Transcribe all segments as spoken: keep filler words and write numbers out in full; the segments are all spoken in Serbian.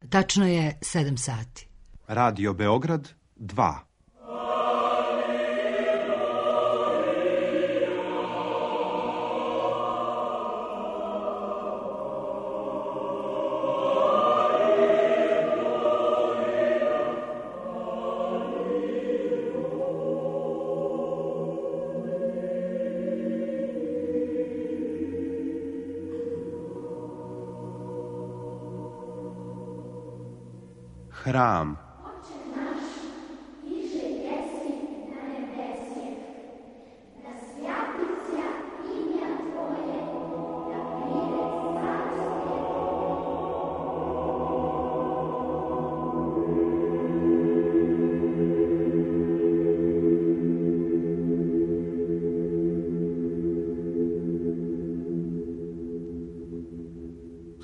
Tačno je sedam sati. Radio Beograd dva. Hram.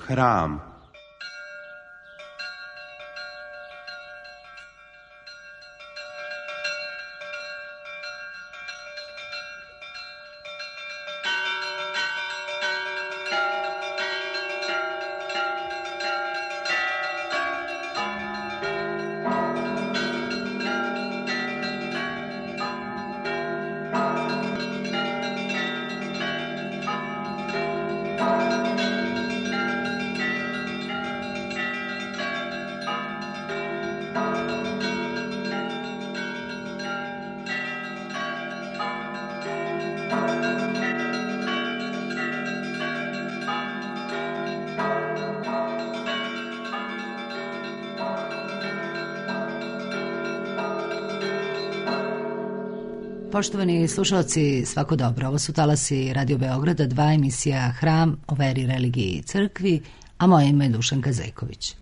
Hram. Poštovani slušalci, svako dobro. Ovo su talasi Radio Beograda, dva emisija Hram o veri, religiji i crkvi, a moje ime je Dušanka Zejković.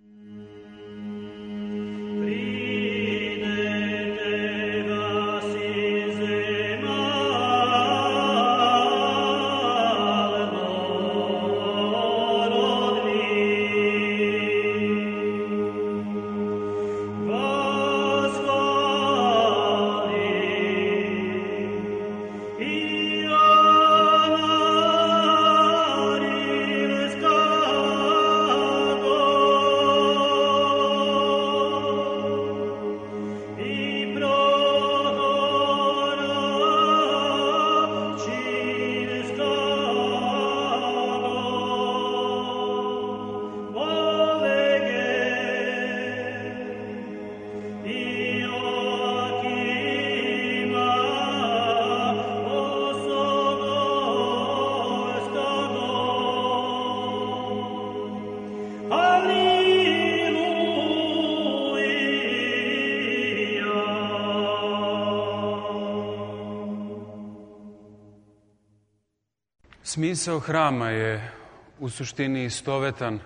Smisao hrama je u suštini istovetan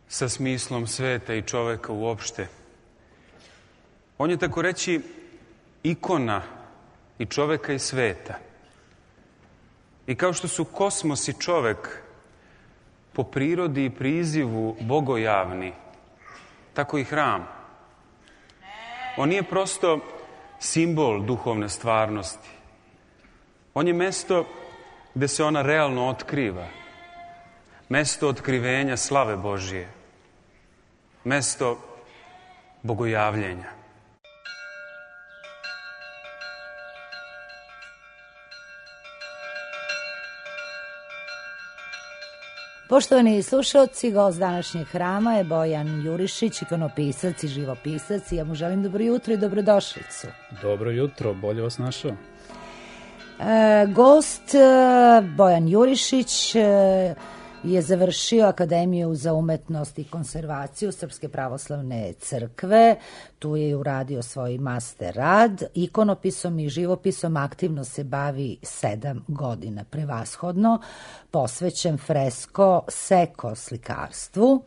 sa smislom sveta i čoveka uopšte. On je, tako reći, ikona i čoveka i sveta. I kao što su kosmos i čovek po prirodi i prizivu bogojavni, tako i hram. On nije prosto simbol duhovne stvarnosti. On je mesto gde se ona realno otkriva. Mesto otkrivenja slave Božije. Mesto bogojavljenja. Poštovani slušalci, gost današnjeg hrama je Bojan Jurišić, ikonopisac i živopisac. I ja mu želim dobro jutro i dobrodošlicu. Dobro jutro, bolje vas našao. E, gost Bojan Jurišić je završio Akademiju za umetnost i konservaciju Srpske pravoslavne crkve. Tu je uradio svoj master rad. Ikonopisom i živopisom aktivno se bavi sedam godina, prevashodno posvećen fresko seko slikarstvu,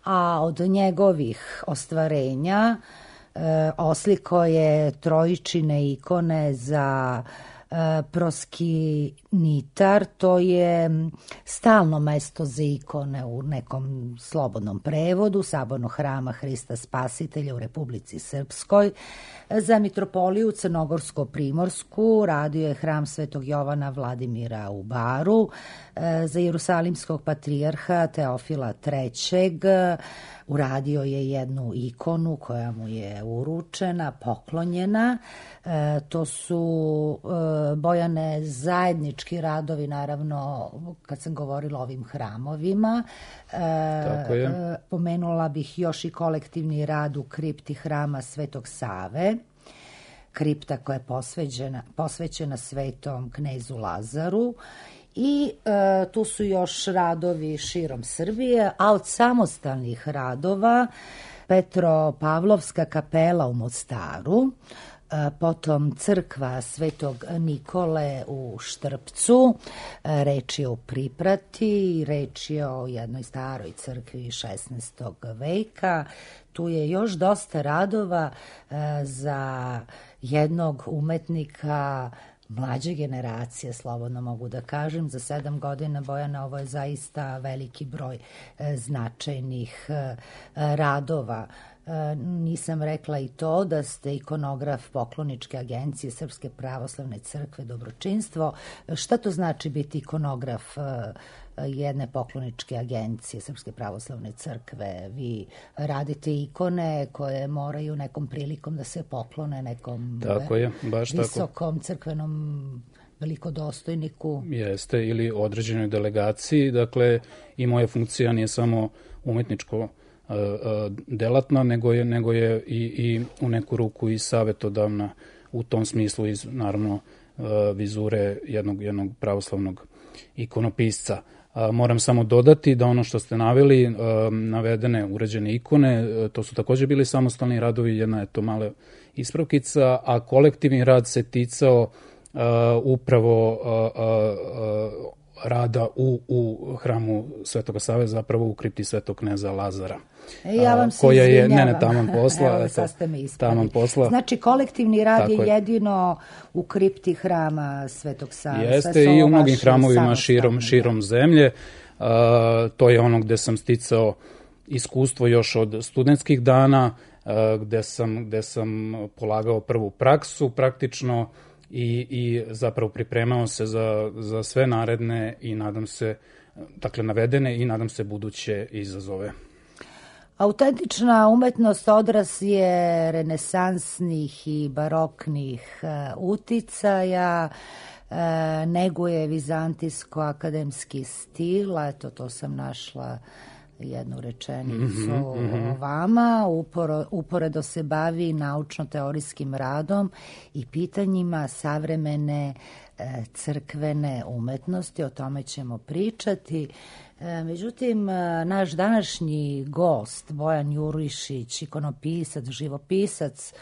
a od njegovih ostvarenja e, osliko je trojičine ikone za proski, Nitar, to je stalno mesto za ikone u nekom slobodnom prevodu Sabornog hrama Hrista Spasitelja u Republici Srpskoj. Za mitropoliju Crnogorsko-Primorsku radio je hram Svetog Jovana Vladimira u Baru. Za Jerusalimskog patrijarha Teofila trećeg uradio je jednu ikonu koja mu je uručena, poklonjena. E, to su e, Bojane zajednički radovi, naravno, kad sam govorila o ovim hramovima. E, Tako je. E, pomenula bih još i kolektivni rad u kripti hrama Svetog Save. Kripta koja je posvećena, posvećena Svetom knezu Lazaru. I e, tu su još radovi širom Srbije, a od samostalnih radova Petropavlovska kapela u Mostaru, e, potom crkva Svetog Nikole u Štrpcu, e, reč je o Priprati, reč je o jednoj staroj crkvi šesnaestog veka. Tu je još dosta radova e, za jednog umetnika mlađe generacije, slobodno mogu da kažem. Za sedam godina, Bojana, ovo je zaista veliki broj e, značajnih e, radova. E, nisam rekla i to da ste ikonograf pokloničke agencije Srpske pravoslavne crkve Dobročinstvo. Šta to znači biti ikonograf e, jedne pokloničke agencije Srpske pravoslavne crkve? Vi radite ikone koje moraju nekom prilikom da se poklone nekom tako je, baš visokom tako. crkvenom velikodostojniku. Jeste, ili određenoj delegaciji. Dakle, i moja funkcija nije samo umetničko uh, uh, delatna, nego je, nego je i, i u neku ruku i savetodavna u tom smislu iz, naravno, uh, vizure jednog, jednog pravoslavnog ikonopisca. A, moram samo dodati da ono što ste naveli, a, navedene uređene ikone, a, to su takođe bili samostalni radovi, jedna je to mala ispravkica, a kolektivni rad se ticao a, upravo a, a, a, rada u, u hramu Svetoga Save, zapravo u kripti Svetog kneza Lazara. E, ja vam se koja je, izvinjavam. ne, ne, taman posla. Evo, eto, sad ste me ispravili. taman posla. Znači, kolektivni rad Tako je, je jedino u kripti hrama Svetog Save. Jeste, i u mnogim hramovima širom, širom zemlje. Uh, to je ono gde sam sticao iskustvo još od studentskih dana, uh, gde sam, gde sam polagao prvu praksu praktično i, i zapravo pripremao se za, za sve naredne i nadam se, dakle navedene i nadam se buduće izazove. Autentična umetnost odraz je renesansnih i baroknih uh, uticaja, uh, neguje vizantijsko-akademski stil, eto to sam našla jednu rečenicu mm-hmm, o vama, Uporo, uporedo se bavi naučno-teorijskim radom i pitanjima savremene uh, crkvene umetnosti, o tome ćemo pričati. Međutim, naš današnji gost, Bojan Jurišić, ikonopisac, živopisac,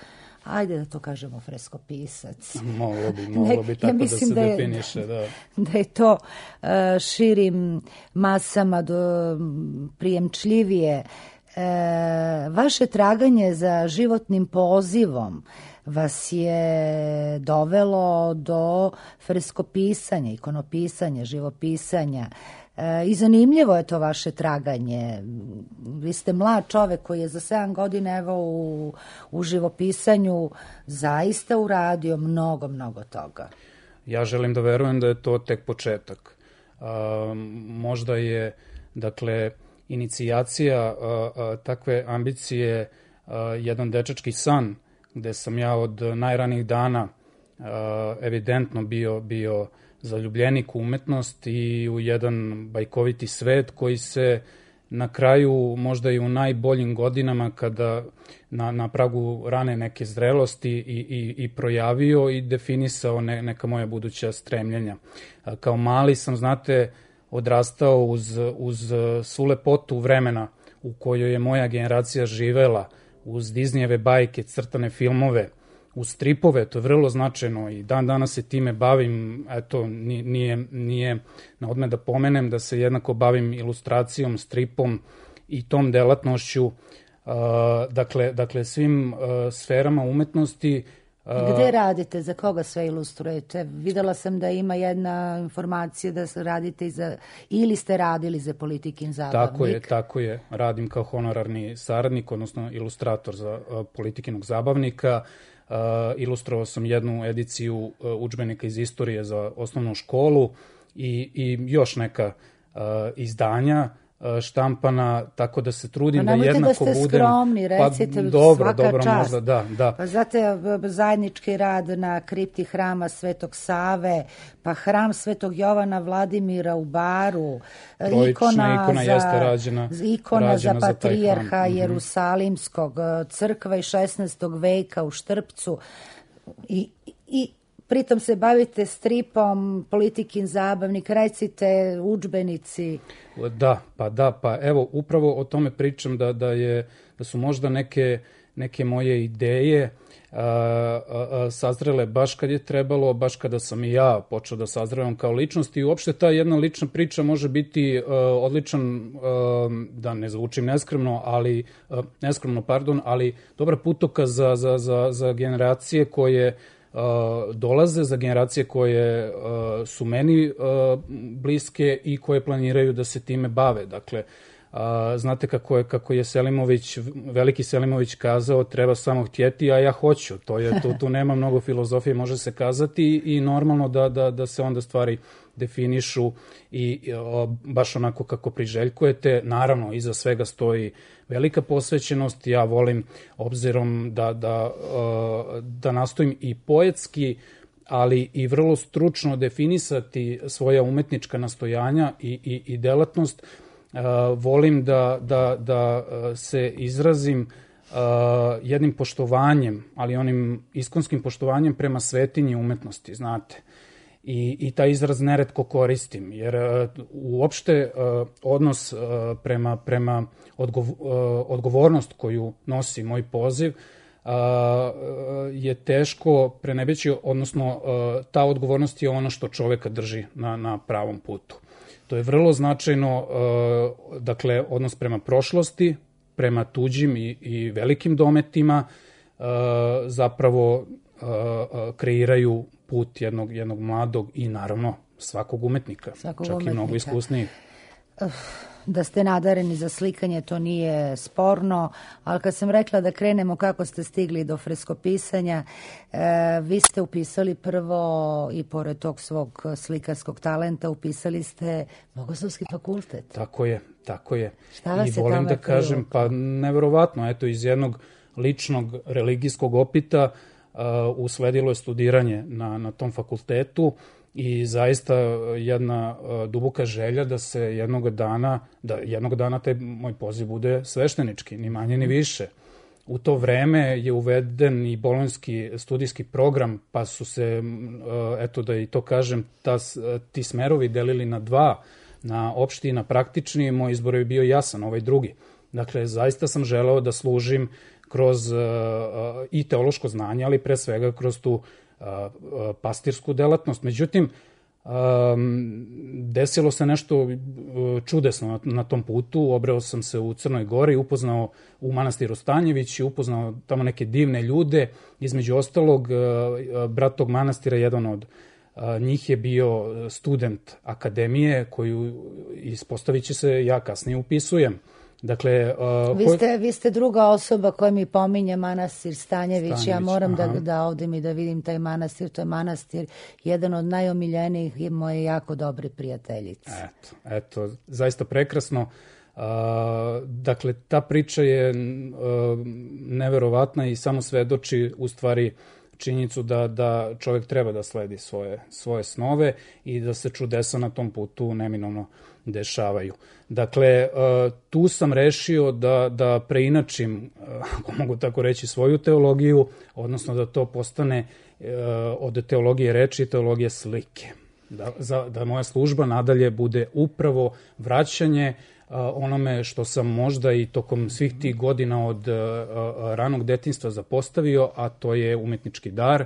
ajde da to kažemo freskopisac. Moglo bi, moglo bi tako ja da se da je, definiše. Da. Da je to uh, širim masama do, prijemčljivije. Uh, vaše traganje za životnim pozivom vas je dovelo do freskopisanja, ikonopisanja, živopisanja. I zanimljivo je to vaše traganje. Vi ste mlad čovek koji je za sedam godina evo u, u živopisanju zaista uradio mnogo, mnogo toga. Ja želim da verujem da je to tek početak. A, možda je, dakle, inicijacija a, a, takve ambicije a, jedan dečački san, gde sam ja od najranijih dana a, evidentno bio bio zaljubljenik u umetnost i u jedan bajkoviti svet koji se na kraju, možda i u najboljim godinama, kada na, na pragu rane neke zrelosti i, i, i projavio i definisao ne, neka moja buduća stremljenja. Kao mali sam, znate, odrastao uz, uz svu lepotu vremena u kojoj je moja generacija živela, uz Disneyjeve bajke, crtane filmove, u stripove, to je vrlo značajno i dan danas se time bavim, eto, nije, nije na odmet da pomenem da se jednako bavim ilustracijom, stripom i tom delatnošću, uh, dakle, dakle svim uh, sferama umetnosti Gde radite? Za koga sve ilustrujete? Videla sam da ima jedna informacija da radite za, ili ste radili za Politikin zabavnik. Tako je, tako je. Radim kao honorarni saradnik, odnosno ilustrator za Politikinog zabavnika. Uh, ilustrovao sam jednu ediciju uh, udžbenika iz istorije za osnovnu školu i, i još neka uh, izdanja štampana, tako da se trudim da jednako budem... Nemojte da ste skromni, recite, pa, dobro, svaka dobro, čast. Možda, da, da. Pa znate, zajednički rad na kripti hrama Svetog Save, pa hram Svetog Jovana Vladimira u Baru, Trojična ikona, ikona za, jeste rađena, ikona rađena za za patrijarha mm-hmm. Jerusalimskog, crkva iz šesnaestog veka u Štrpcu i, i pritom se bavite stripom, Politikin zabavnik, recite, udžbenici. Da, pa da, pa evo, upravo o tome pričam da, da, je, da su možda neke, neke moje ideje a, a, a, sazrele baš kad je trebalo, baš kada sam i ja počeo da sazrevam kao ličnost i uopšte ta jedna lična priča može biti a, odličan, a, da ne zvučim neskromno, ali, a, neskromno, pardon, ali dobra putoka za, za, za, za generacije koje Uh, dolaze, za generacije koje uh, su meni uh, bliske i koje planiraju da se time bave. Dakle, uh, znate kako je, kako je Selimović, veliki Selimović kazao, treba samo htjeti, a ja hoću. To je, tu, tu nema mnogo filozofije, može se kazati i normalno da, da, da se onda stvari definišu i o, baš onako kako priželjkujete. Naravno, iza svega stoji velika posvećenost. Ja volim, obzirom da, da, da nastojim i poetski, ali i vrlo stručno definisati svoja umetnička nastojanja i, i, i delatnost, volim da, da, da se izrazim jednim poštovanjem, ali onim iskonskim poštovanjem prema svetinji umetnosti, znate. I, i taj izraz neretko koristim, jer uh, uopšte uh, odnos uh, prema, prema odgov, uh, odgovornost koju nosi moj poziv uh, je teško prenebeći, odnosno uh, ta odgovornost je ono što čoveka drži na, na pravom putu. To je vrlo značajno, uh, dakle, odnos prema prošlosti, prema tuđim i, i velikim dometima uh, zapravo uh, uh, kreiraju put jednog, jednog mladog i naravno svakog umetnika, svakog čak umetnika. I mnogo iskusnijih. Da ste nadareni za slikanje, to nije sporno, ali kad sam rekla da krenemo kako ste stigli do freskopisanja, e, vi ste upisali prvo i pored tog svog slikarskog talenta upisali ste Bogoslovski fakultet. Tako je, tako je. Šta vas I je volim tome da kažem, pa neverovatno, eto, iz jednog ličnog religijskog opita uh, usledilo je studiranje na, na tom fakultetu i zaista jedna uh, duboka želja da se jednog dana, da jednog dana taj moj poziv bude sveštenički, ni manje ni više. U to vreme je uveden i bolonjski studijski program, pa su se, uh, eto da i to kažem, ta, ti smerovi delili na dva, na opšti i na praktični. Moj izbor je bio jasan, ovaj drugi. Dakle, zaista sam želeo da služim kroz uh, i teološko znanje, ali pre svega kroz tu uh, pastirsku delatnost. Međutim, um, desilo se nešto uh, čudesno na, na tom putu. Obreo sam se u Crnoj Gori, upoznao u manastiru Stanjević i upoznao tamo neke divne ljude. Između ostalog, uh, brat tog manastira, jedan od uh, njih je bio student akademije koju, ispostavit će se, ja kasnije upisujem. Dakle, uh, vi, ste, vi ste druga osoba koja mi pominje manastir Stanjević. Stanjević ja moram da, da ovde mi da vidim taj manastir. To je manastir, jedan od najomiljenijih i moje jako dobre prijateljice. Eto, eto, zaista prekrasno. Uh, dakle, ta priča je uh, neverovatna i samo svedoči u stvari činjenicu da, da čovjek treba da sledi svoje, svoje snove i da se čudesa na tom putu neminovno dešavaju. Dakle, tu sam rešio da, da preinačim, ako mogu tako reći, svoju teologiju, odnosno da to postane od teologije reči teologije slike. Da, za, da moja služba nadalje bude upravo vraćanje onome što sam možda i tokom svih tih godina od ranog detinjstva zapostavio, a to je umetnički dar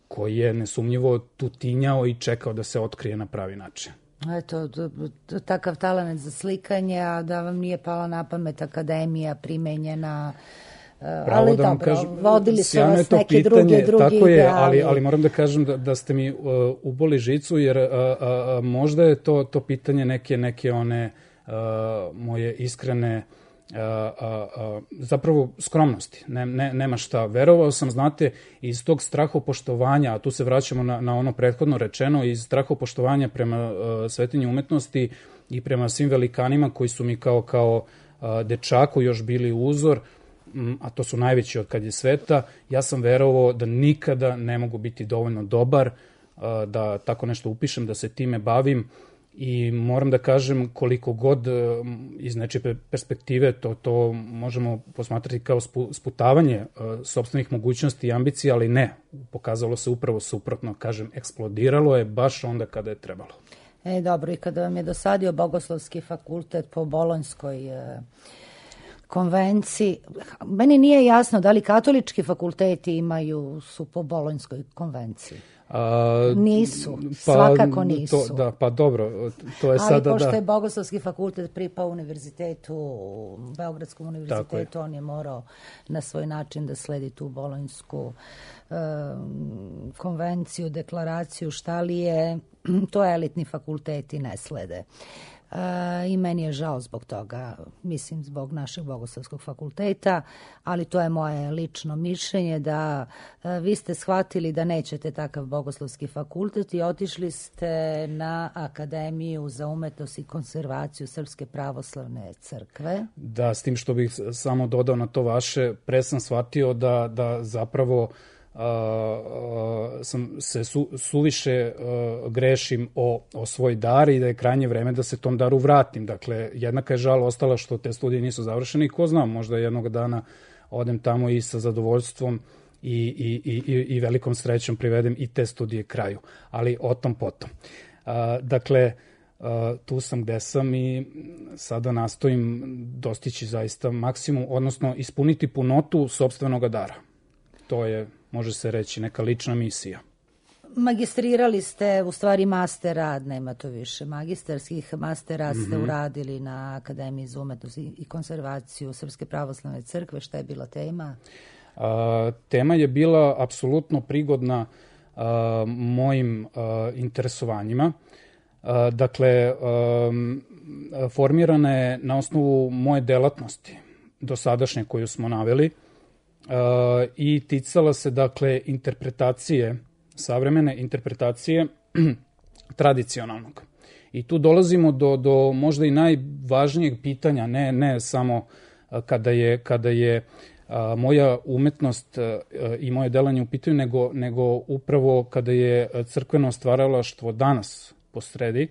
koji je nesumnjivo tutinjao i čekao da se otkrije na pravi način. Eto, takav talent za slikanje, a da vam nije pala na pamet akademija primenjena, Pravo ali da vam dobro, kažem, vodili su sjajno je vas to neke pitanje, druge, drugi tako je, ideali. ali, ali moram da kažem da, da ste mi uh, uboli žicu, jer uh, uh, možda je to, to pitanje neke, neke one uh, moje iskrene Uh, uh, uh, zapravo skromnosti, ne, ne, nema šta. Verovao sam, znate, iz tog strahopoštovanja, a tu se vraćamo na, na ono prethodno rečeno, iz strahopoštovanja prema uh, svetinji umetnosti i prema svim velikanima koji su mi kao, kao uh, dečaku još bili uzor, um, a to su najveći od kad je sveta, ja sam verovao da nikada ne mogu biti dovoljno dobar, uh, da tako nešto upišem, da se time bavim. I moram da kažem, koliko god iz nečije perspektive to, to možemo posmatrati kao sputavanje uh, sopstvenih mogućnosti i ambicija, ali ne, pokazalo se upravo suprotno, kažem, eksplodiralo je baš onda kada je trebalo. E, dobro, i kada vam je dosadio Bogoslovski fakultet po Bolonjskoj e, konvenciji, meni nije jasno da li katolički fakulteti imaju, su po Bolonjskoj konvenciji. A, nisu, pa, svakako nisu. To, da, pa dobro, to je ali sada... Ali pošto da. je Bogoslovski fakultet pripao univerzitetu, Beogradskom univerzitetu, on je morao na svoj način da sledi tu Bolonjsku e, konvenciju, deklaraciju, šta li je, to elitni fakulteti ne slede. E, I meni je žao zbog toga, mislim zbog našeg Bogoslovskog fakulteta, ali to je moje lično mišljenje da e, vi ste shvatili da nećete takav Bogoslovski fakultet i otišli ste na Akademiju za umetnost i konzervaciju Srpske pravoslavne crkve. Da, s tim što bih samo dodao na to vaše, pre sam shvatio da, da zapravo Uh, uh, sam se su, suviše uh, grešim o, o svoj dar i da je krajnje vreme da se tom daru vratim. Dakle, jednaka je žal ostala što te studije nisu završene i ko zna, možda jednog dana odem tamo i sa zadovoljstvom i, i, i, i velikom srećom privedem i te studije kraju. Ali o tom potom. Uh, dakle, uh, tu sam gde sam i sada nastojim dostići zaista maksimum, odnosno ispuniti punotu sopstvenog dara. To je, može se reći, neka lična misija. Magistrirali ste, u stvari master rad, nema to više magistarskih, master rad ste mm-hmm. uradili na Akademiji za umetnost i konzervaciju Srpske pravoslavne crkve. Šta je bila tema? A, tema je bila apsolutno prigodna a, mojim a, interesovanjima. A, dakle, a, formirana je na osnovu moje delatnosti, dosadašnje koju smo naveli, Uh, i ticala se, dakle, interpretacije, savremene interpretacije tradicionalnog. I tu dolazimo do, do možda i najvažnijeg pitanja, ne, ne samo uh, kada je, kada je uh, moja umetnost uh, i moje delanje u pitanju, nego, nego upravo kada je crkveno stvaralaštvo danas posredi.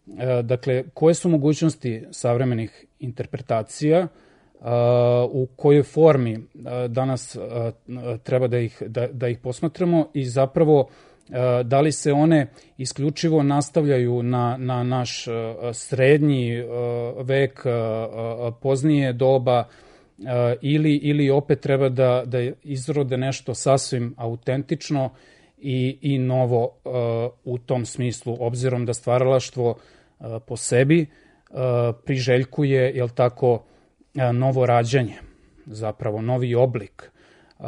Uh, dakle, koje su mogućnosti savremenih interpretacija, Uh, u kojoj formi uh, danas uh, treba da ih, da, da ih posmatramo i zapravo uh, da li se one isključivo nastavljaju na, na naš uh, srednji uh, vek, uh, poznije doba uh, ili, ili opet treba da, da izrode nešto sasvim autentično i, i novo uh, u tom smislu, obzirom da stvaralaštvo uh, po sebi uh, priželjkuje, jel tako, novo rađanje, zapravo novi oblik, a,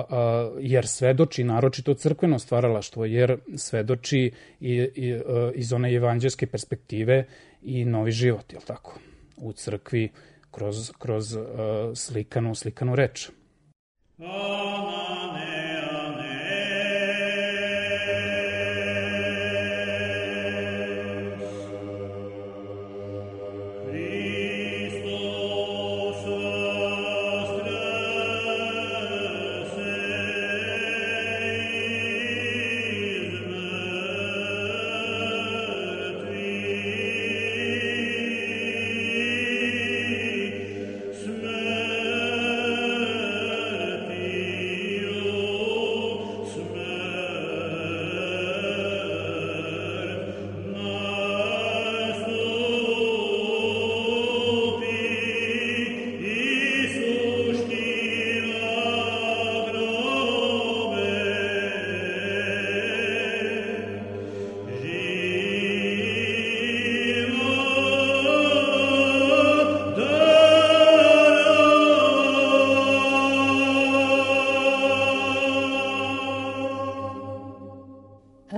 a, jer svedoči, naročito crkveno stvaralaštvo, jer svedoči i, i, a, iz one evanđelske perspektive i novi život, jel tako, u crkvi kroz, kroz a, slikanu, slikanu reč.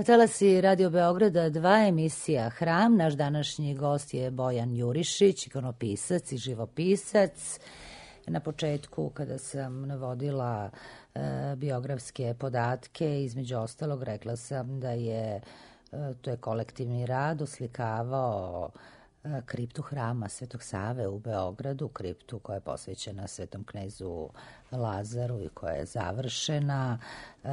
talasi Radio Beograda dva emisija Hram. Naš današnji gost je Bojan Jurišić, ikonopisac i živopisac. Na početku, kada sam navodila e, biografske podatke, između ostalog rekla sam da je e, to je kolektivni rad oslikavao e, kriptu hrama Svetog Save u Beogradu, kriptu koja je posvećena Svetom knezu Lazaru i koja je završena. E,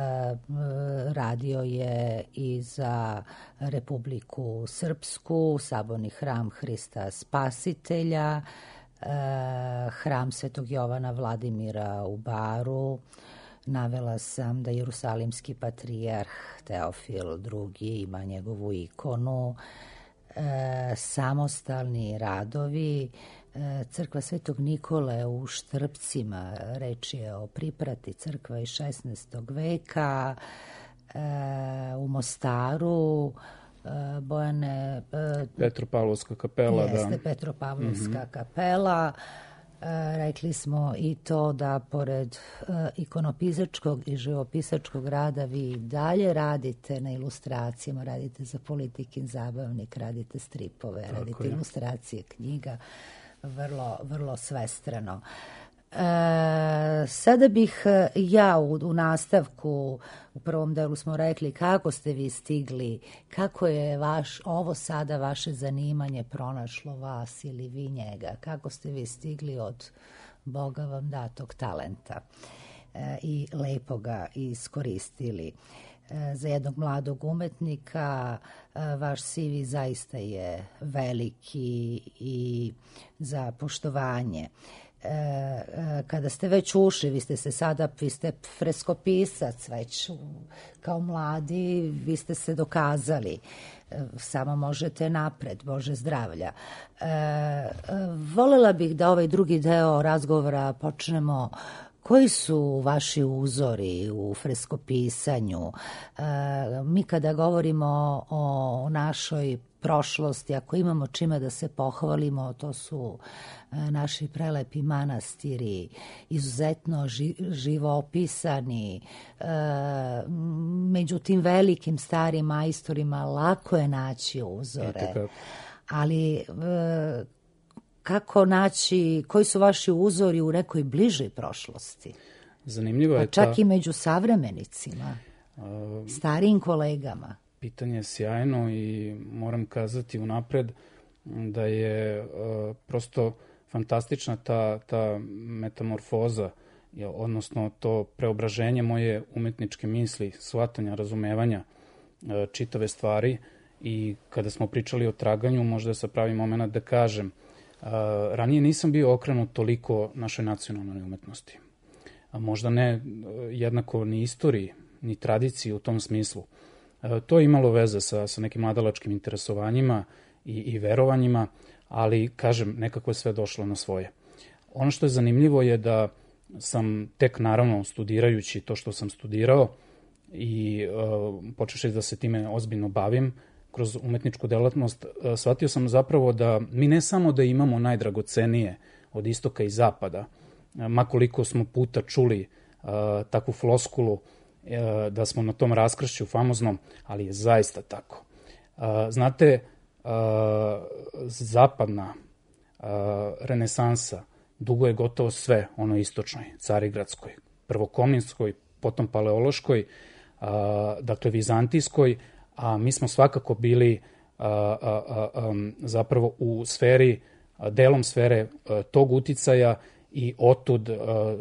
radio je i za Republiku Srpsku, Saborni hram Hrista Spasitelja, hram Svetog Jovana Vladimira u Baru. Navela sam da Jerusalimski patrijarh Teofil drugi ima njegovu ikonu. E, samostalni radovi, e, crkva Svetog Nikole u Štrpcima, reč je o priprati, crkva iz šesnaestog veka. E, u Mostaru Bojane... Petropavlovska kapela, jeste, da. Jeste, mm Petropavlovska -hmm. kapela. E, rekli smo i to da pored e, ikonopisačkog i živopisačkog rada vi dalje radite na ilustracijama, radite za Politikin zabavnik, radite stripove, tako radite je. Ilustracije knjiga, vrlo, vrlo svestrano. E, sada bih ja u, u nastavku, u prvom delu smo rekli kako ste vi stigli, kako je vaš, ovo sada vaše zanimanje pronašlo vas ili vi njega, kako ste vi stigli od Boga vam datog talenta e, i lepo ga iskoristili. E, za jednog mladog umetnika e, vaš C V zaista je veliki i za poštovanje. Kada ste već ušli, vi ste se sada, vi ste freskopisac već kao mladi, vi ste se dokazali, samo možete napred, Bože zdravlja. E, volela bih da ovaj drugi deo razgovora počnemo. Koji su vaši uzori u freskopisanju? E, mi kada govorimo o našoj prošlosti, ako imamo čime da se pohvalimo, to su e, naši prelepi manastiri, izuzetno ži, živo opisani. E, među tim velikim starim majstorima lako je naći uzore. Ali e, kako naći, koji su vaši uzori u nekoj bližoj prošlosti? Zanimljivo je pa čak ta... i među savremenicima, uh, starijim kolegama. Pitanje je sjajno i moram kazati unapred da je uh, prosto fantastična ta, ta metamorfoza, odnosno to preobraženje moje umetničke misli, shvatanja, razumevanja uh, čitave stvari. I kada smo pričali o traganju, možda je sa pravi moment da kažem, Uh, ranije nisam bio okrenut toliko našoj nacionalnoj umetnosti. A možda ne uh, jednako ni istoriji, ni tradiciji u tom smislu. Uh, to je imalo veze sa, sa nekim mladalačkim interesovanjima i, i verovanjima, ali, kažem, nekako je sve došlo na svoje. Ono što je zanimljivo je da sam tek, naravno, studirajući to što sam studirao i uh, počevši da se time ozbiljno bavim, kroz umetničku delatnost, shvatio sam zapravo da mi ne samo da imamo najdragocenije od istoka i zapada, makoliko smo puta čuli uh, takvu floskulu uh, da smo na tom raskršću famoznom, ali je zaista tako. Uh, znate, uh, zapadna uh, renesansa dugo je gotovo sve ono istočnoj, carigradskoj, prvokominskoj, potom paleološkoj, uh, dakle vizantijskoj, a mi smo svakako bili a, a, a, um, zapravo u sferi, a, delom sfere a, tog uticaja i otud a, a,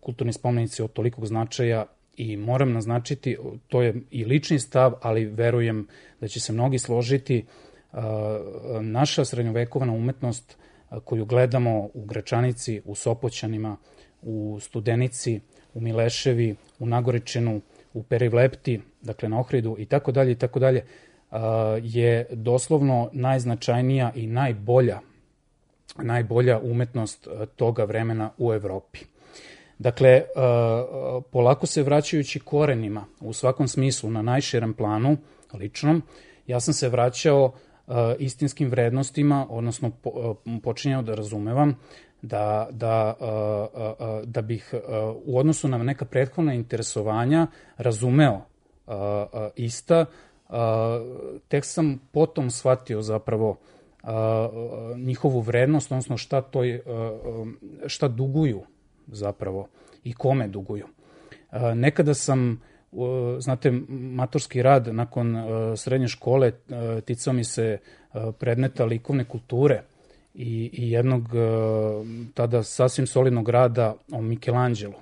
kulturni spomenici od tolikog značaja i moram naznačiti, to je i lični stav, ali verujem da će se mnogi složiti, a, naša srednjovekovna umetnost a, koju gledamo u Gračanici, u Sopoćanima, u Studenici, u Mileševi, u Nagoričinu, u Perivlepti, dakle na Ohridu i tako dalje i tako dalje, je doslovno najznačajnija i najbolja, najbolja umetnost toga vremena u Evropi. Dakle, polako se vraćajući korenima u svakom smislu na najširem planu, ličnom, ja sam se vraćao istinskim vrednostima, odnosno počinjao da razumevam da, da, da bih u odnosu na neka prethodna interesovanja razumeo ista, tek sam potom shvatio zapravo njihovu vrednost, odnosno šta, to je, šta duguju zapravo i kome duguju. Nekada sam, znate, maturski rad nakon srednje škole ticao mi se predmeta likovne kulture i, i jednog tada sasvim solidnog rada o Michelangelu.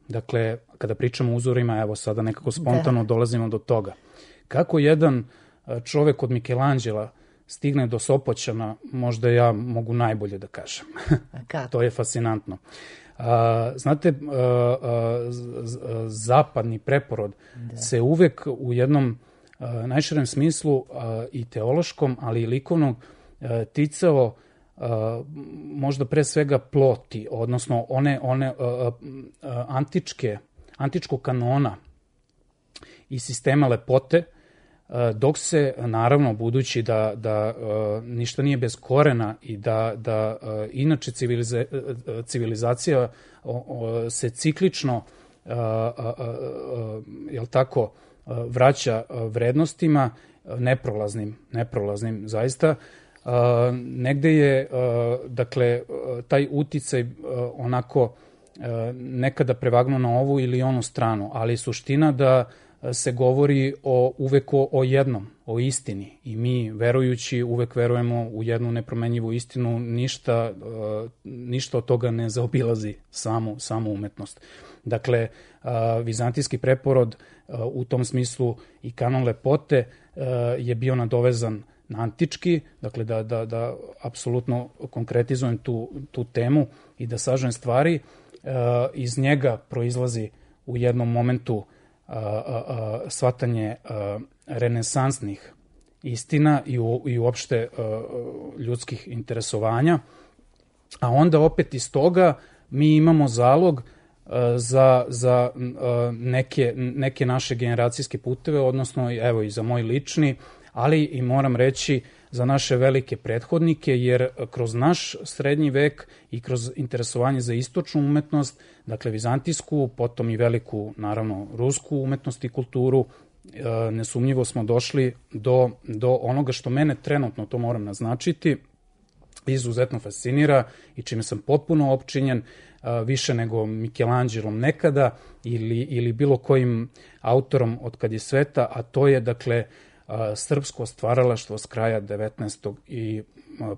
Dakle, kada pričamo o uzorima, evo sada nekako spontano da. dolazimo do toga. Kako jedan čovek od Michelangela stigne do Sopoćana, možda ja mogu najbolje da kažem. To je fascinantno. A, znate, a, a, zapadni preporod da. se uvek u jednom a, najširem smislu a, i teološkom, ali i likovnog a, ticao a, možda pre svega ploti, odnosno one, one a, a, a, antičke, antičkog kanona i sistema lepote, dok se, naravno, budući da, da uh, ništa nije bez korena i da, da uh, inače civiliza, uh, civilizacija uh, uh, se ciklično uh, uh, uh, jel tako, uh, vraća uh, vrednostima uh, neprolaznim, neprolaznim zaista. Uh, negde je, uh, dakle, uh, taj uticaj uh, onako uh, nekada prevagnuo na ovu ili onu stranu, ali suština da se govori o, uvek o, o jednom, o istini. I mi, verujući, uvek verujemo u jednu nepromenjivu istinu, ništa, uh, ništa od toga ne zaobilazi samu, samu umetnost. Dakle, uh, vizantijski preporod uh, u tom smislu i kanon lepote uh, je bio nadovezan na antički, dakle da, da, da apsolutno konkretizujem tu, tu temu i da sažem stvari. Uh, iz njega proizlazi u jednom momentu A, a, a, shvatanje a, renesansnih istina i, u, i uopšte a, ljudskih interesovanja, a onda opet iz toga mi imamo zalog a, za, za a, neke, neke naše generacijske puteve, odnosno evo i za moj lični, ali i moram reći za naše velike prethodnike, jer kroz naš srednji vek i kroz interesovanje za istočnu umetnost, dakle vizantijsku, potom i veliku, naravno, rusku umetnost i kulturu, nesumnjivo smo došli do, do onoga što mene trenutno, to moram naznačiti, izuzetno fascinira i čime sam potpuno opčinjen, više nego Michelangelom nekada ili, ili bilo kojim autorom od kad je sveta, a to je, dakle, srpsko stvaralaštvo s kraja devetnaestog i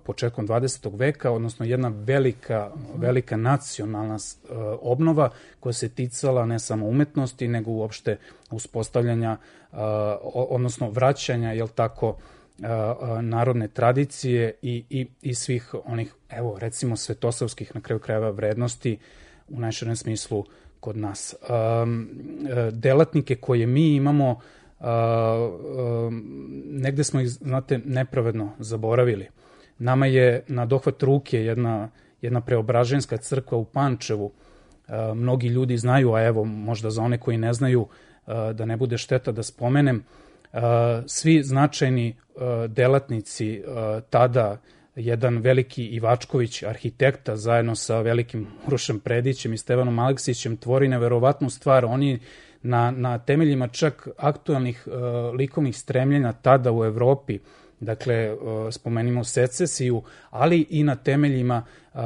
početkom dvadesetog veka, odnosno jedna velika, velika nacionalna obnova koja se ticala ne samo umetnosti, nego uopšte uspostavljanja, odnosno vraćanja, jel tako, narodne tradicije i, i, i svih onih, evo, recimo, svetosavskih, na kraju krajeva, vrednosti u najširem smislu kod nas. Delatnike koje mi imamo, Uh, uh, negde smo ih, znate, nepravedno zaboravili. Nama je na dohvat ruke jedna, jedna preobraženska crkva u Pančevu. Uh, mnogi ljudi znaju, a evo možda za one koji ne znaju, uh, da ne bude šteta da spomenem, uh, svi značajni uh, delatnici uh, tada, jedan veliki Ivačković, arhitekta, zajedno sa velikim Urošem Predićem i Stevanom Aleksićem, tvori neverovatnu stvar. Oni na, na temeljima čak aktualnih uh, likovnih stremljenja tada u Evropi, dakle, uh, spomenimo secesiju, ali i na temeljima uh, uh,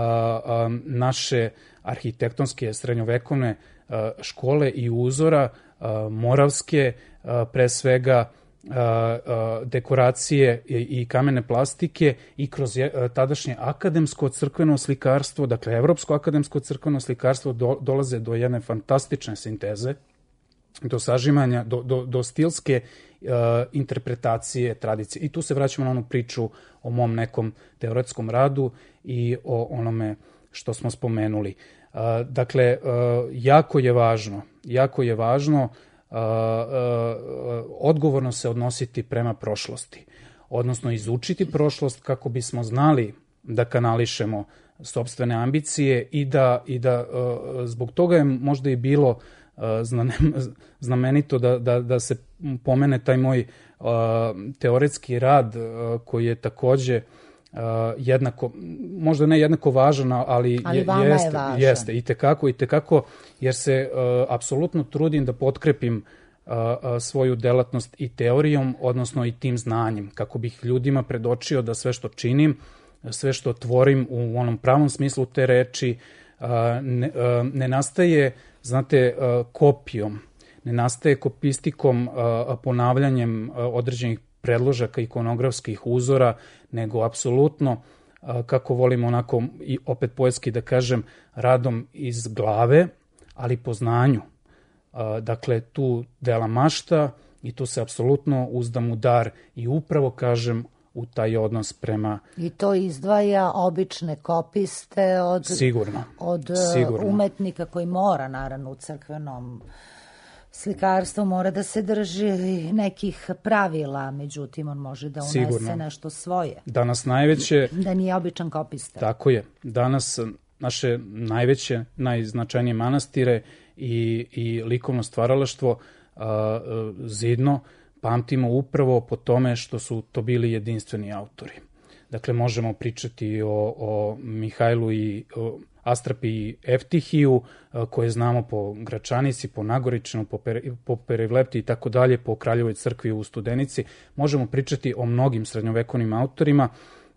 naše arhitektonske srednjovekovne uh, škole i uzora, uh, moravske, uh, pre svega, Uh, uh, dekoracije i, i kamene plastike i kroz je, uh, tadašnje akademsko crkveno slikarstvo, dakle evropsko akademsko crkveno slikarstvo do, dolaze do jedne fantastične sinteze, do sažimanja, do, do, do stilske uh, interpretacije tradicije. I tu se vraćamo na onu priču o mom nekom teoretskom radu i o onome što smo spomenuli. Uh, dakle, uh, jako je važno, jako je važno Uh, uh, odgovorno se odnositi prema prošlosti, odnosno izučiti prošlost kako bismo znali da kanališemo sopstvene ambicije i da, i da uh, zbog toga je možda i bilo uh, znamenito da, da, da se pomene taj moj uh, teoretski rad uh, koji je takođe Uh, jednako, možda ne jednako važan, ali, ali je, jeste, je jeste, i tekako, i tekako, jer se uh, apsolutno trudim da potkrepim svoju delatnost i teorijom, odnosno i tim znanjem, kako bih ljudima predočio da sve što činim, sve što tvorim u onom pravom smislu te reči, ne, ne nastaje, znate, kopijom, ne nastaje kopistikom, ponavljanjem određenih predložaka ikonografskih uzora, nego apsolutno, kako volim onako i opet poetski da kažem, radom iz glave, ali po znanju. Dakle, tu dela mašta i tu se apsolutno uzdam u dar i upravo kažem u taj odnos prema... I to izdvaja obične kopiste od, sigurno, od sigurno. umetnika koji mora, naravno, u crkvenom slikarstvu mora da se drži nekih pravila, međutim on može da unese sigurno nešto svoje. Danas najveće... Da nije običan kopista. Tako je. Danas naše najveće, najznačajnije manastire i, i likovno stvaralaštvo a, zidno pamtimo upravo po tome što su to bili jedinstveni autori. Dakle, možemo pričati o, o Mihajlu i o Astrapi i Eftihiju, koje znamo po Gračanici, po Nagoričanu, po, per, po Perivlepti i tako dalje, po Kraljevoj crkvi u Studenici. Možemo pričati o mnogim srednjovekovnim autorima,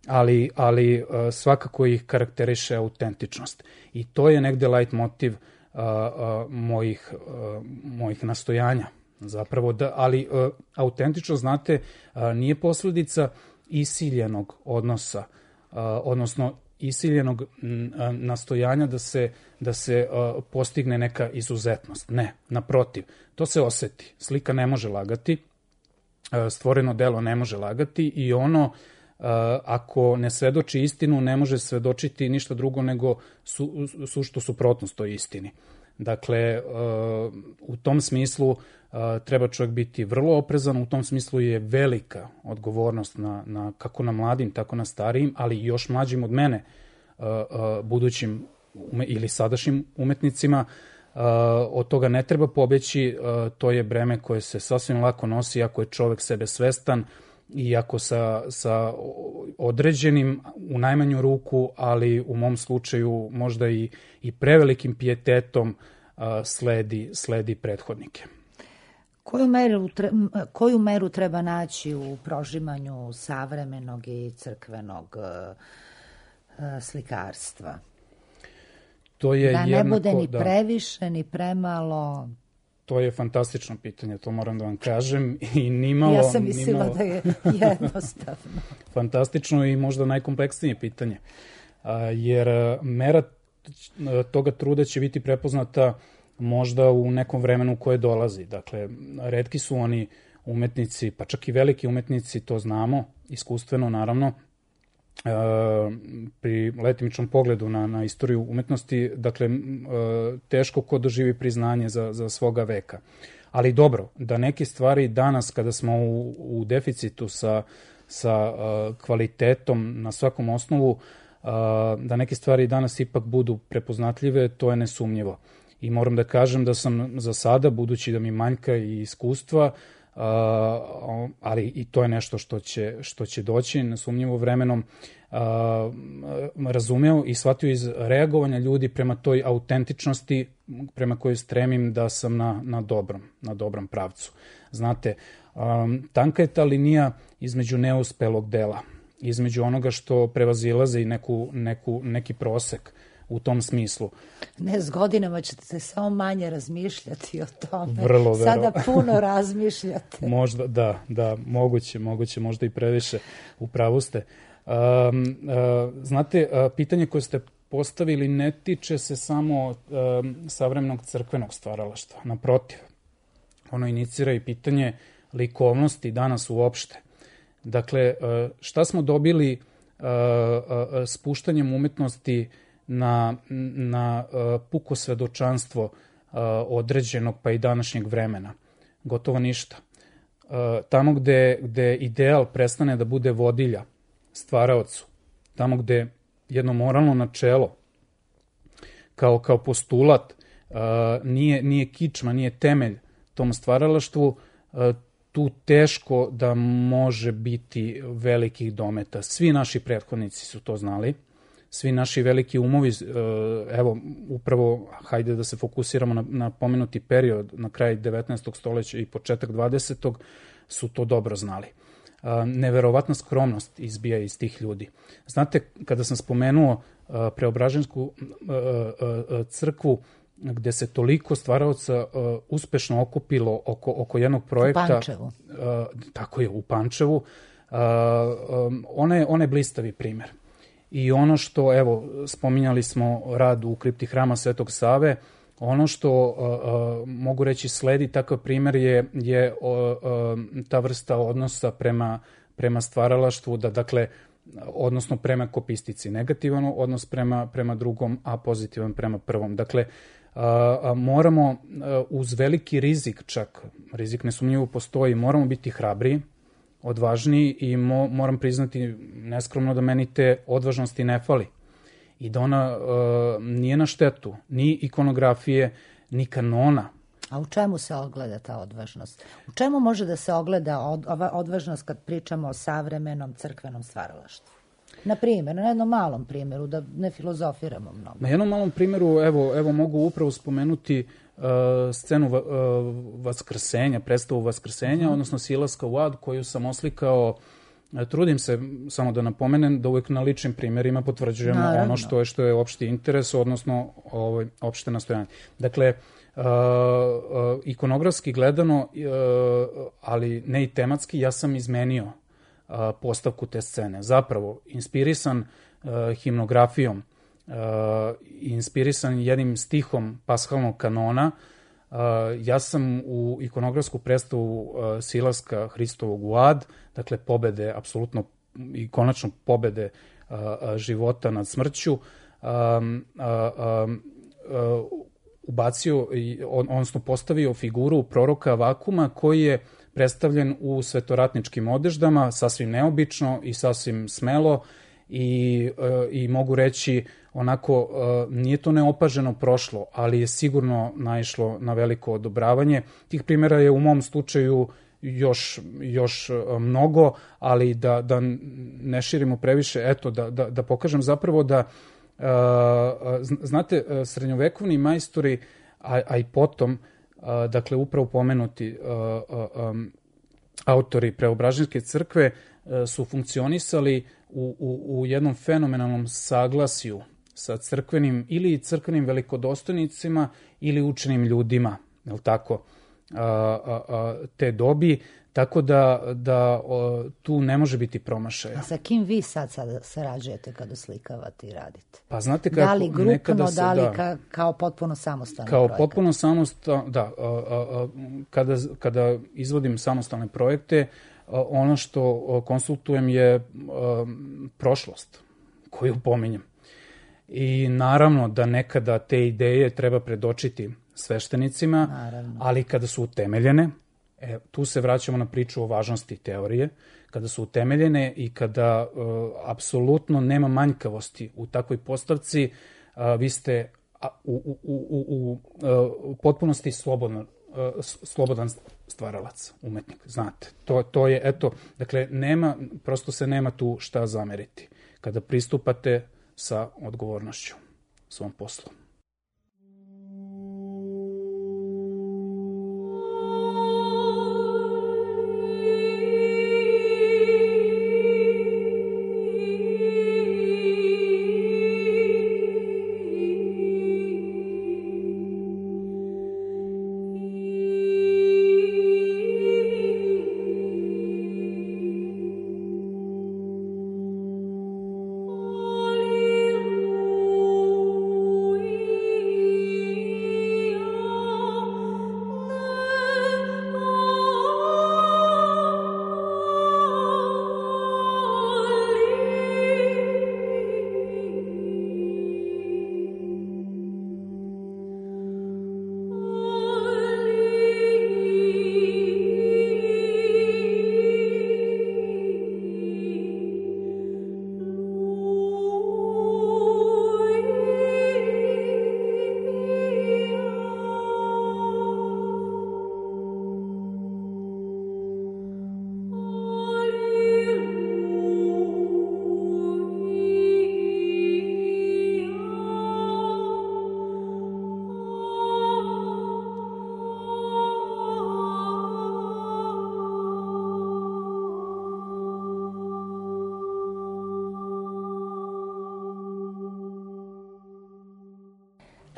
ali, ali svakako ih karakteriše autentičnost. I to je negde lajt motiv a, a, mojih, a, mojih nastojanja. Zapravo da, ali a, autentičnost, znate, a, nije posledica isiljenog odnosa, a, odnosno isiljenog nastojanja da se, da se uh, postigne neka izuzetnost. Ne, naprotiv, to se oseti. Slika ne može lagati, uh, stvoreno delo ne može lagati i ono, uh, ako ne svedoči istinu, ne može svedočiti ništa drugo nego su, suštu suprotnost toj istini. Dakle, uh, u tom smislu uh, treba čovjek biti vrlo oprezan, u tom smislu je velika odgovornost na, na, kako na mladim, tako na starijim, ali i još mlađim od mene, uh, uh, budućim ume, ili sadašnjim umetnicima. Uh, od toga ne treba pobeći, uh, to je breme koje se sasvim lako nosi ako je čovjek sebe svestan i ako sa, sa određenim, u najmanju ruku, ali u mom slučaju možda i, i prevelikim pijetetom uh, sledi, sledi prethodnike. Koju meru, koju meru treba naći u prožimanju savremenog i crkvenog uh, slikarstva? To je da ne jednako, bude ni da, previše, ni premalo... To je fantastično pitanje, to moram da vam kažem. I nimalo, ja sam mislila nimalo... da je jednostavno. Fantastično i možda najkompleksnije pitanje. Jer mera toga truda će biti prepoznata možda u nekom vremenu koje dolazi. Dakle, retki su oni umetnici, pa čak i veliki umetnici, to znamo, iskustveno naravno, Uh, pri letimičnom pogledu na, na istoriju umetnosti, dakle, uh, teško ko doživi priznanje za, za svoga veka. Ali dobro, da neke stvari danas kada smo u, u deficitu sa, sa uh, kvalitetom na svakom osnovu, uh, da neke stvari danas ipak budu prepoznatljive, to je nesumnjivo. I moram da kažem da sam za sada, budući da mi manjka i iskustva, Uh, ali i to je nešto što će, što će doći nesumnjivo vremenom, uh, razumeo i shvatio iz reagovanja ljudi prema toj autentičnosti prema kojoj stremim da sam na, na dobrom, na dobrom pravcu. Znate, um, tanka je ta linija između neuspelog dela, između onoga što prevazilaze i neku, neku, neki prosek u tom smislu. Ne, s godinama ćete se samo manje razmišljati o tome. Vrlo, Sada puno razmišljate. Možda, da, da, moguće, moguće, možda i previše, u pravu ste. Um, uh, znate, uh, pitanje koje ste postavili ne tiče se samo um, savremenog crkvenog stvaralaštva. Naprotiv, ono inicira i pitanje likovnosti danas uopšte. Dakle, uh, šta smo dobili uh, uh, spuštanjem umetnosti na, na uh, puko svedočanstvo uh, određenog pa i današnjeg vremena? Gotovo ništa. Uh, tamo gde, gde ideal prestane da bude vodilja stvaraocu, tamo gde jedno moralno načelo kao, kao postulat uh, nije, nije kičma, nije temelj tom stvaralaštvu, uh, tu teško da može biti velikih dometa. Svi naši prethodnici su to znali. svi naši veliki umovi, evo, upravo, hajde da se fokusiramo na, na pomenuti period, na kraj devetnaestog stoleća i početak dvadesetog su to dobro znali. Neverovatna skromnost izbija iz tih ljudi. Znate, kada sam spomenuo Preobražensku crkvu, gde se toliko stvaraoca uspešno okupilo oko, oko jednog projekta. U Pančevu. Tako je, u Pančevu. Ona je, ona je blistavi primer. I ono što, evo, spominjali smo rad u kripti hrama Svetog Save, ono što uh, uh, mogu reći sledi takav primer je, je uh, uh, ta vrsta odnosa prema, prema stvaralaštvu, da, dakle, odnosno prema kopistici. Negativan odnos prema, prema drugom, a pozitivan prema prvom. Dakle, uh, uh, moramo uh, uz veliki rizik, čak rizik nesumnjivo postoji, moramo biti hrabri, odvažniji i mo, moram priznati neskromno da meni te odvažnosti ne fali. I da ona uh, nije na štetu ni ikonografije, ni kanona. A u čemu se ogleda ta odvažnost? U čemu može da se ogleda od, ova odvažnost kad pričamo o savremenom crkvenom stvaralaštvu? Na primjer, na jednom malom primjeru, da ne filozofiramo mnogo. Na jednom malom primjeru, evo, evo mogu upravo spomenuti uh, scenu uh, Vaskrsenja, predstavu Vaskrsenja, mm. odnosno Silaska u ad, koju sam oslikao. Trudim se samo da napomenem da uvek na ličnim primjerima potvrđujemo Naravno. ono što je što je opšti interes, odnosno ovaj, opšte nastojanje. Dakle, uh, uh, ikonografski gledano, uh, ali ne i tematski, ja sam izmenio uh, postavku te scene. Zapravo, inspirisan uh, himnografijom, uh, inspirisan jednim stihom pashalnog kanona, Uh, ja sam u ikonografsku predstavu uh, Silaska Hristovog u ad, dakle pobede, apsolutno i konačno pobede uh, uh, života nad smrću, um, uh, um, uh, ubacio, on, odnosno postavio figuru proroka Vakuma koji je predstavljen u svetoratničkim odeždama, sasvim neobično i sasvim smelo i, uh, i mogu reći onako, uh, nije to neopaženo prošlo, ali je sigurno naišlo na veliko odobravanje. Tih primjera je u mom slučaju još, još uh, mnogo, ali da, da ne širimo previše, eto, da, da, da pokažem zapravo da, uh, znate, srednjovekovni majstori, a, a i potom, uh, dakle, upravo pomenuti uh, uh, um, autori Preobraženske crkve uh, su funkcionisali u, u, u jednom fenomenalnom saglasju sa crkvenim ili crkvenim velikodostojnicima ili učenim ljudima, je li tako, a, a, a, te dobi, tako da, da o, tu ne može biti promašaja. A sa kim vi sad, sad sarađujete kada slikavate i radite? Pa znate kako da li grupno, nekada se, da li da, ka, kao potpuno samostalni kao projekat? Kao potpuno samostalno, da, a, a, a, kada, kada izvodim samostalne projekte, a, ono što konsultujem je a, prošlost koju pominjem. I naravno da nekada te ideje treba predočiti sveštenicima, naravno. Ali kada su utemeljene, e, tu se vraćamo na priču o važnosti teorije, kada su utemeljene i kada uh, apsolutno nema manjkavosti u takvoj postavci, uh, vi ste a, u, u, u, u, u potpunosti slobodno, uh, slobodan stvaralac, umetnik, znate. To, to je, eto, dakle, nema, prosto se nema tu šta zameriti. Kada pristupate sa odgovornošću svom poslu. Alleluia.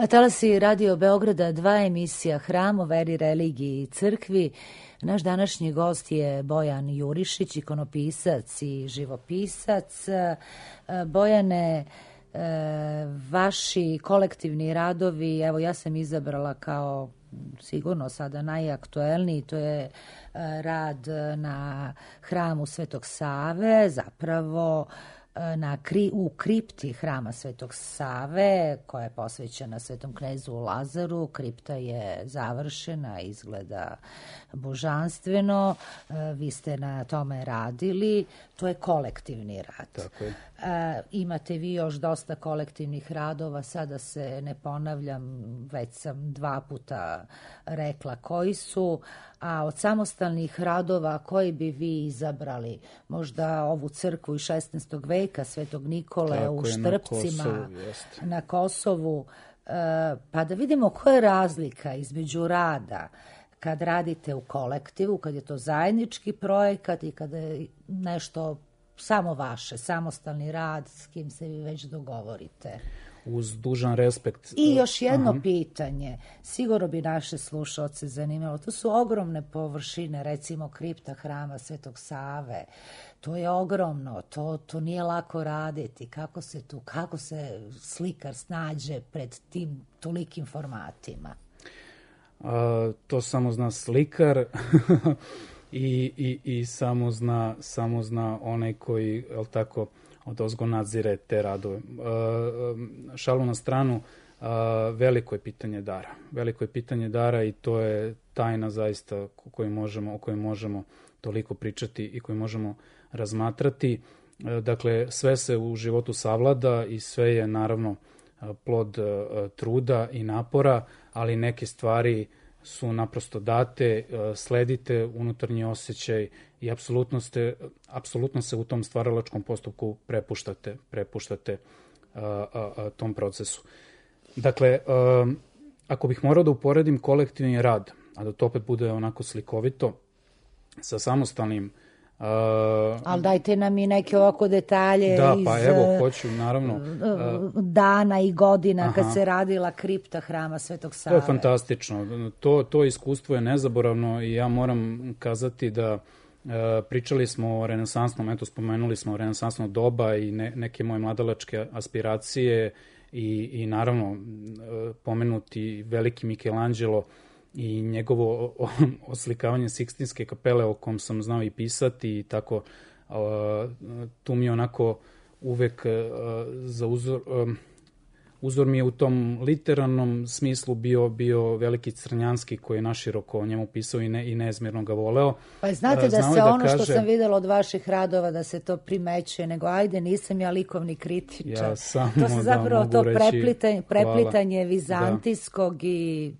Na talasi Radio Beograda dva emisija Hram o veri, religiji i crkvi. Naš današnji gost je Bojan Jurišić, ikonopisac i živopisac. Bojane, vaši kolektivni radovi, evo ja sam izabrala kao sigurno sada najaktuelniji, to je rad na hramu Svetog Save, zapravo na, u kripti hrama Svetog Save, koja je posvećena Svetom knezu Lazaru. Kripta je završena, izgleda božanstveno. Vi ste na tome radili. To je kolektivni rad. Tako je. Imate vi još dosta kolektivnih radova, sada se ne ponavljam, već sam dva puta rekla koji su, a od samostalnih radova koji bi vi izabrali? Možda ovu crkvu iz šesnaestog veka, Svetog Nikole Tako u je, Štrpcima, na Kosovu, jest. na Kosovu, pa da vidimo koja je razlika između rada kad radite u kolektivu, kad je to zajednički projekat i kada je nešto samo vaše, samostalni rad s kim se vi već dogovorite. Uz dužan respekt. I još jedno Aha. pitanje, sigurno bi naše slušaoce zanimalo, to su ogromne površine, recimo kripta hrama Svetog Save, to je ogromno, to, to nije lako raditi, kako se tu, kako se slikar snađe pred tim tolikim formatima? A, to samo zna slikar i, i, i samo zna, samo zna onaj koji, jel tako, odozgo nadzire te radove. Šalu na stranu, veliko je pitanje dara. Veliko je pitanje dara i to je tajna zaista o kojoj možemo, o kojoj možemo toliko pričati i koju možemo razmatrati. Dakle, sve se u životu savlada i sve je naravno plod truda i napora, ali neke stvari su naprosto date, sledite unutarnji osjećaj i apsolutno, ste, apsolutno se u tom stvaralačkom postupku prepuštate, prepuštate a, a, a, tom procesu. Dakle, a, ako bih morao da uporedim kolektivni rad, a da to opet bude onako slikovito, sa samostalnim Uh, Ali dajte nam i neke ovako detalje da, iz pa evo, hoću, naravno, uh, dana i godina aha. kad se radila kripta hrama Svetog Save. To je fantastično. To, to iskustvo je nezaboravno i ja moram kazati da uh, pričali smo o renesansnom, eto spomenuli smo renesansno doba i ne, neke moje mladalačke aspiracije i, i naravno uh, pomenuti veliki Michelangelo i njegovo oslikavanje Sikstinske kapele o kom sam znao i pisati i tako, tu mi je onako uvek za uzor, uzor mi je u tom literarnom smislu bio, bio veliki Crnjanski koji je naširoko o njemu pisao i, ne, i neizmjerno ga voleo. Pa znate da Znao se da ono kaže, što sam videla od vaših radova da se to primećuje, nego ajde nisam ja likovni kritičar. Ja samo to se zapravo da to reći, preplitanje, preplitanje hvala. vizantijskog da. i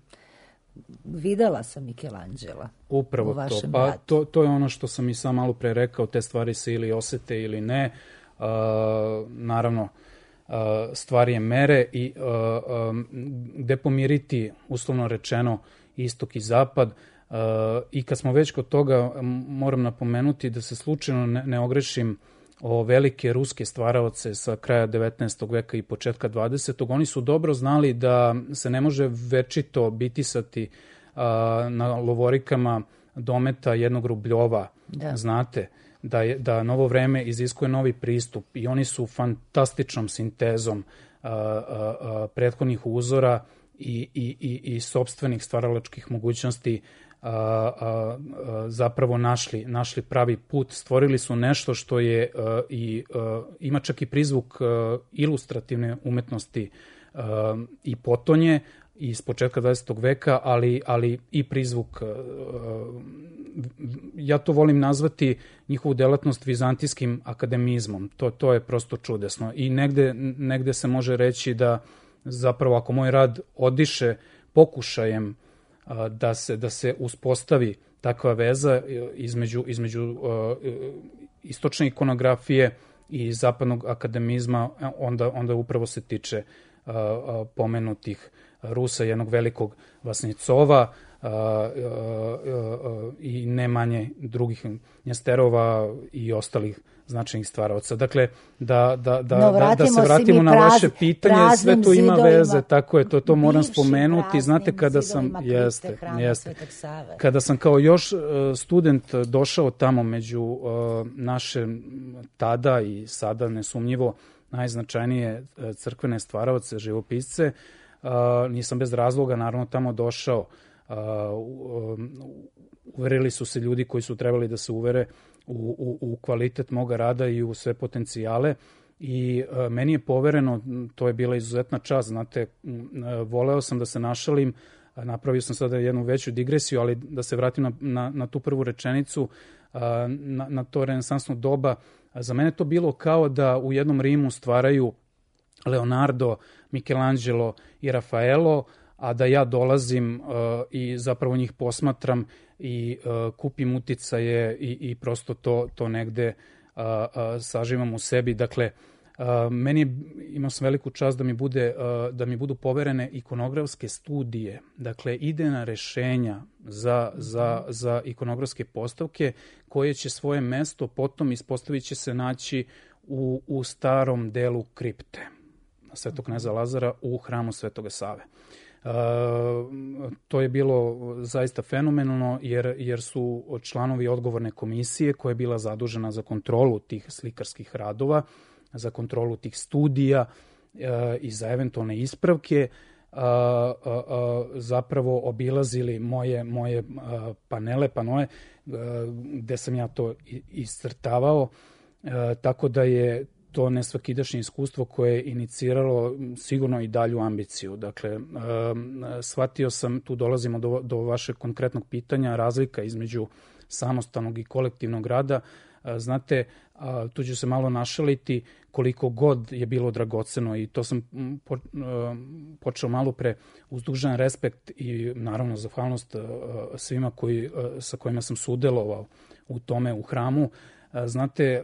videla sam Michelangela. Upravo to. Pa to, to je ono što sam i sam malo pre rekao, te stvari se ili osete ili ne. Uh, naravno, uh, stvar je mere i uh, um, gde pomiriti, uslovno rečeno, istok i zapad. Uh, I kad smo već kod toga, moram napomenuti da se slučajno ne, ne ogrešim o velike ruske stvaraoce sa kraja devetnaestog veka i početka dvadesetog. Oni su dobro znali da se ne može večito bitisati a, na lovorikama dometa jednog rubljova, da. Znate, da, je, da novo vreme iziskuje novi pristup i oni su fantastičnom sintezom a, a, a, prethodnih uzora i, i, i, i sopstvenih stvaralačkih mogućnosti A, a, a, zapravo našli, našli pravi put, stvorili su nešto što je a, i a, ima čak i prizvuk a, ilustrativne umetnosti a, i potonje iz početka dvadesetog veka, ali, ali i prizvuk, a, ja to volim nazvati njihovu delatnost vizantijskim akademizmom, to, to je prosto čudesno i negde, negde se može reći da zapravo ako moj rad odiše pokušajem da se, da se uspostavi takva veza između, između uh, istočne ikonografije i zapadnog akademizma, onda, onda upravo se tiče uh, pomenutih Rusa, jednog velikog Vasnicova, a, a, a, i ne manje drugih njesterova i ostalih značajnih stvaraoca. Dakle, da, da, da, no, da, da se vratimo na praz, vaše pitanje, sve to ima veze, tako je, to, to moram spomenuti. Znate, kada sam, jeste, jeste, kada sam kao još student došao tamo među uh, naše tada i sada nesumnjivo najznačajnije crkvene stvaraoce, živopisce, uh, nisam bez razloga naravno tamo došao. Uh, uverili su se ljudi koji su trebali da se uvere u, u, u kvalitet moga rada i u sve potencijale i uh, meni je povereno, to je bila izuzetna čast, znate, uh, voleo sam da se našalim, uh, napravio sam sada jednu veću digresiju, ali da se vratim na, na, na tu prvu rečenicu, uh, na, na to renesansno doba. Uh, za mene to bilo kao da u jednom Rimu stvaraju Leonardo, Michelangelo i Rafaelo, a da ja dolazim uh, i zapravo njih posmatram i uh, kupim uticaje i, i prosto to, to negde uh, uh, saživam u sebi. Dakle, uh, meni je, imao sam veliku čast da mi, bude, uh, da mi budu poverene ikonografske studije, dakle idejna rešenja za, za, za ikonografske postavke koje će svoje mesto potom ispostavit će se naći u, u starom delu kripte Svetog kneza Lazara u hramu Svetoga Save. Uh, to je bilo zaista fenomenalno jer, jer su članovi odgovorne komisije koja je bila zadužena za kontrolu tih slikarskih radova, za kontrolu tih studija uh, i za eventualne ispravke uh, uh, uh, zapravo obilazili moje, moje uh, panele, panoe uh, gde sam ja to iscrtavao, uh, tako da je to nesvakidašnje iskustvo koje je iniciralo sigurno i dalju ambiciju. Dakle, shvatio sam, tu dolazimo do, do vašeg konkretnog pitanja, razlika između samostalnog i kolektivnog rada. Znate, tu ću se malo našaliti, koliko god je bilo dragoceno i to sam počeo malo pre uz dužan respekt i naravno zahvalnost svima koji, sa kojima sam sudelovao u tome u hramu. Znate,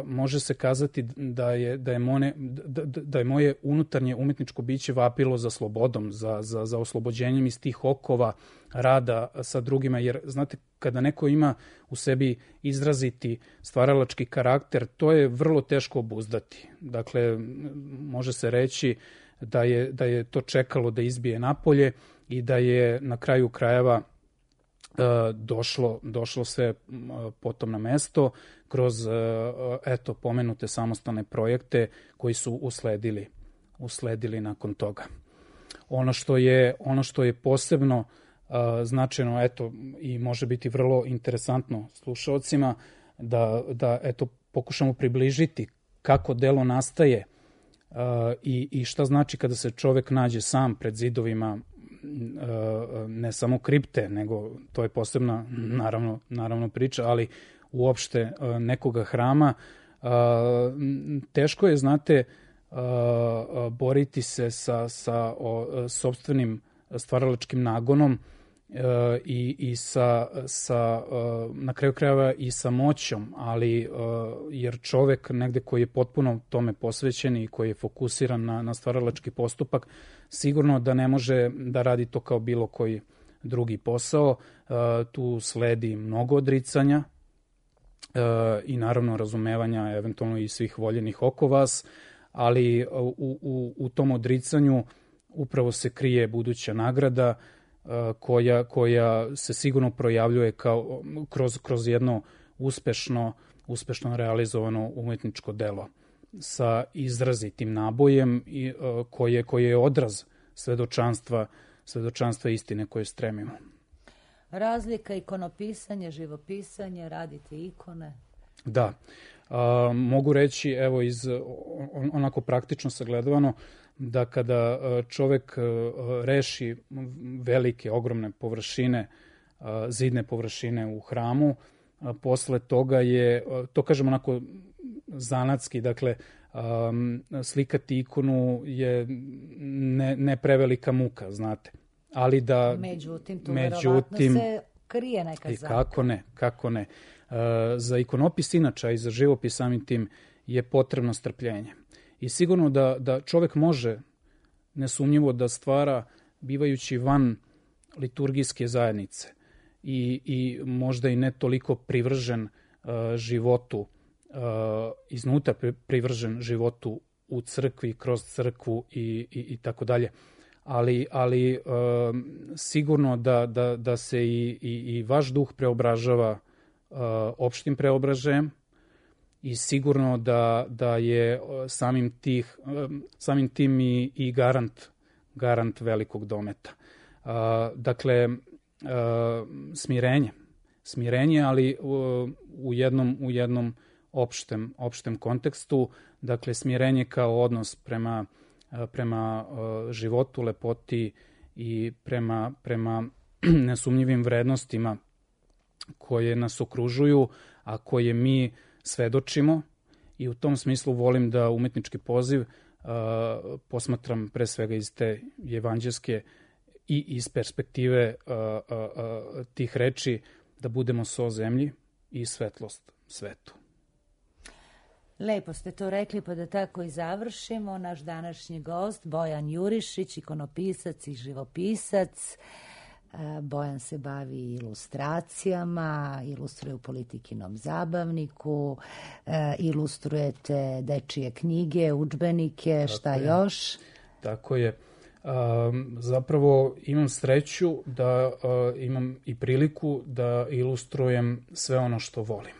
može se kazati da je, da je, mone, da, da je moje unutarnje umetničko biće vapilo za slobodom, za, za, za oslobođenjem iz tih okova rada sa drugima, jer znate, kada neko ima u sebi izraziti stvaralački karakter, to je vrlo teško obuzdati. Dakle, može se reći da je, da je to čekalo da izbije napolje i da je na kraju krajeva došlo, došlo sve potom na mesto kroz eto pomenute samostalne projekte koji su usledili, usledili nakon toga. Ono što je, ono što je posebno uh, značajno, eto, i može biti vrlo interesantno slušalcima, da, da eto pokušamo približiti kako delo nastaje uh, i, i šta znači kada se čovek nađe sam pred zidovima ne samo kripte, nego to je posebna naravno, naravno priča, ali uopšte nekoga hrama. Teško je, znate, boriti se sa, sa o, sopstvenim stvaralačkim nagonom i, i sa, sa, na kraju krajeva i sa moćom, ali jer čovek negde koji je potpuno tome posvećen i koji je fokusiran na, na stvaralački postupak, sigurno da ne može da radi to kao bilo koji drugi posao. Tu sledi mnogo odricanja i naravno razumevanja eventualno i svih voljenih oko vas, ali u, u, u tom odricanju upravo se krije buduća nagrada koja, koja se sigurno projavljuje kao, kroz, kroz jedno uspešno, uspešno realizovano umetničko delo sa izrazitim nabojem i, koje, koje je odraz svedočanstva, svedočanstva istine koje stremimo. Razlika ikonopisanje, živopisanje, radite ikone? Da. A, mogu reći, evo, iz on, onako praktično sagledavano, da kada čovek reši velike, ogromne površine, zidne površine u hramu, posle toga je, to kažem onako zanatski, dakle, slikati ikonu je ne, ne prevelika muka, znate. Ali da... Međutim, tu međutim, verovatno se krije neka zamka. Kako ne, kako ne. Za ikonopis inača i za živopis samim tim je potrebno strpljenje. I sigurno da, da čovek može nesumnjivo da stvara bivajući van liturgijske zajednice i, i možda i ne toliko privržen uh, životu, uh, iznutra privržen životu u crkvi, kroz crkvu i, i, i tako dalje. Ali, ali uh, sigurno da, da, da se i, i, i vaš duh preobražava uh, opštim preobraženjem i sigurno da, da je samim, tih, um, samim tim i, i garant, garant velikog dometa. Uh, dakle, uh, smirenje. Smirenje, ali uh, u jednom, u jednom opštem, opštem kontekstu. Dakle, smirenje kao odnos prema prema uh, životu, lepoti i prema, prema nesumnjivim vrednostima koje nas okružuju, a koje mi svedočimo. I u tom smislu volim da umetnički poziv uh, posmatram pre svega iz te evanđelske i iz perspektive uh, uh, uh, tih reči, da budemo so zemlji i svetlost svetu. Lepo ste to rekli, pa da tako i završimo. Naš današnji gost, Bojan Jurišić, ikonopisac i živopisac. Bojan se bavi ilustracijama, ilustruje u Politikinom zabavniku, ilustrujete dečije knjige, udžbenike, tako šta je. Još? Tako je. Um, zapravo imam sreću da uh, imam i priliku da ilustrujem sve ono što volim.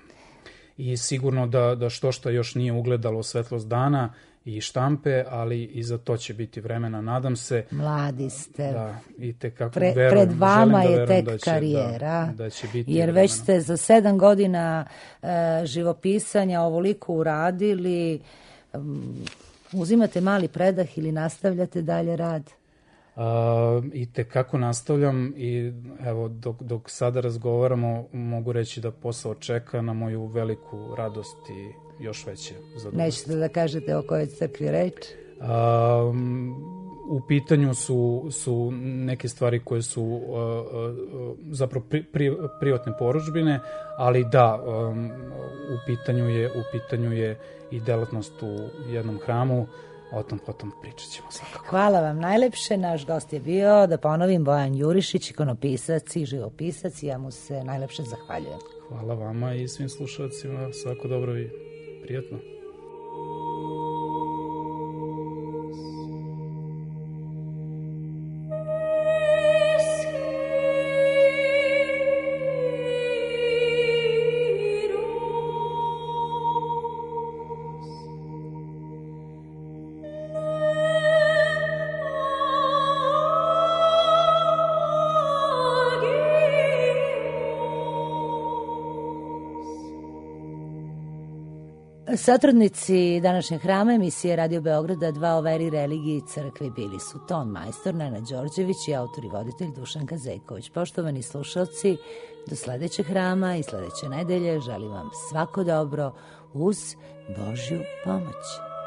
I sigurno da, da što što još nije ugledalo svetlost dana i štampe, ali i za to će biti vremena, nadam se. Mladi ste. Da, i tekako Pre, verujem. Pred vama je tek da će, karijera, da, da će biti jer vremena. Već ste za sedam godina e, živopisanja ovoliko uradili. Um, uzimate mali predah ili nastavljate dalje rad? Uh, I tekako nastavljam i evo dok, dok sada razgovaramo mogu reći da posao čeka na moju veliku radost i još veće zadovoljstvo. Nećete da kažete o kojoj crkvi reč? Uh, u pitanju su, su neke stvari koje su uh, uh, zapravo pri, pri, privatne porudžbine, ali da, um, u pitanju je, u pitanju je i delatnost u jednom hramu. O tom potom pričat ćemo svakako. Hvala vam najlepše. Naš gost je bio, da ponovim, Bojan Jurišić, ikonopisac i živopisac. Ja mu se najlepše zahvaljujem. Hvala vama i svim slušalcima. Svako dobro i prijatno. Satrudnici današnjeg hrama emisije Radio Beograda dva o veri, religiji i crkvi bili su ton majstor Nenad Đorđević i autor i voditelj Dušan Kazeković. Poštovani slušalci, do sledećeg hrama i sledeće nedelje želim vam svako dobro uz Božju pomoć. Amen.